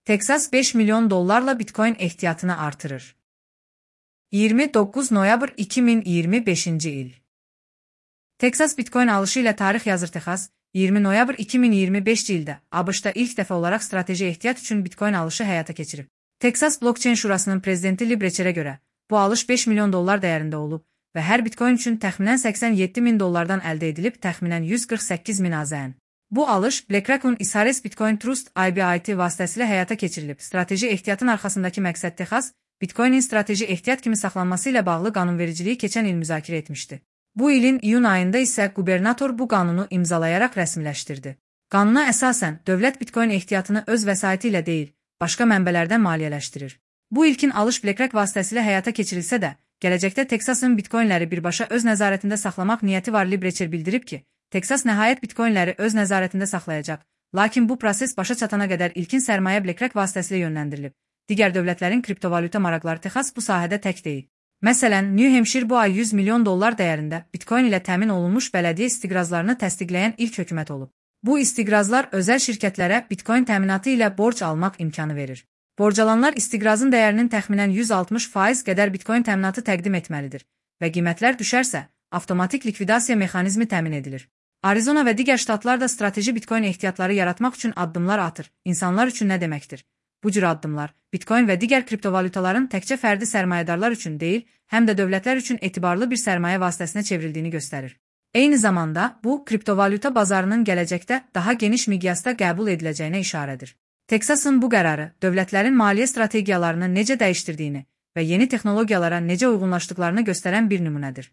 Texas 5 milyon dollarla Bitcoin ehtiyatını artırır. 29 noyabr 2025 il. Texas Bitcoin alışı ilə tarix yazır. Texas, 20 noyabr 2025 ildə ABŞ-da ilk dəfə olaraq strateji ehtiyat üçün Bitcoin alışı həyata keçirib. Texas Blockchain Şurasının prezidenti Lee Brecherə görə, bu alış 5 milyon dollar dəyərində olub və hər Bitcoin üçün təxminən 87 min dollardan əldə edilib təxminən 148 min AZN. Bu alış BlackRock'un Isares Bitcoin Trust IBIT vasitəsilə həyata keçirilib. Strateji ehtiyatın arxasındakı məqsəd Texas, Bitcoinin strateji ehtiyat kimi saxlanması ilə bağlı qanunvericiliyi keçən il müzakirə etmişdi. Bu ilin iyun ayında isə qubernator bu qanunu imzalayaraq rəsmiləşdirdi. Qanuna əsasən, dövlət Bitcoin ehtiyatını öz vəsaiti ilə deyil, başqa mənbələrdən maliyyələşdirir. Bu ilkin alış BlackRock vasitəsilə həyata keçirilsə də, gələcəkdə Texasın Bitcoinləri birbaşa öz nəzarətində saxlamaq niyyəti var. Lee Brecher bildirib ki, Texas nəhayət Bitcoinləri öz nəzarətində saxlayacaq, lakin bu proses başa çatana qədər ilkin sərmayə BlackRock vasitəsilə yönləndirilib. Digər dövlətlərin kriptovalyuta maraqları Texas bu sahədə tək deyil. Məsələn, New Hampshire bu ay 100 milyon dollar dəyərində Bitcoin ilə təmin olunmuş bələdiyyə istiqrazlarını təsdiqləyən ilk hökumət olub. Bu istiqrazlar özəl şirkətlərə Bitcoin təminatı ilə borc almaq imkanı verir. Borcalanlar istiqrazın dəyərinin təxminən 160% qədər Bitcoin təminatı təqdim etməlidir və qiymətlər düşərsə, avtomatik likvidasiya mexanizmi təmin edilir. Arizona və digər ştatlar da strateji Bitcoin ehtiyatları yaratmaq üçün addımlar atır. İnsanlar üçün nə deməkdir? Bu cür addımlar, Bitcoin və digər kriptovalyutaların təkcə fərdi sərmayədarlar üçün deyil, həm də dövlətlər üçün etibarlı bir sərmayə vasitəsinə çevrildiyini göstərir. Eyni zamanda, bu, kriptovalyuta bazarının gələcəkdə daha geniş miqyasda qəbul ediləcəyinə işarədir. Texasın bu qərarı, dövlətlərin maliyyə strategiyalarını necə dəyişdirdiyini və yeni texnologiyalara necə uyğunlaşdıqlarını göstərən bir nümunədir.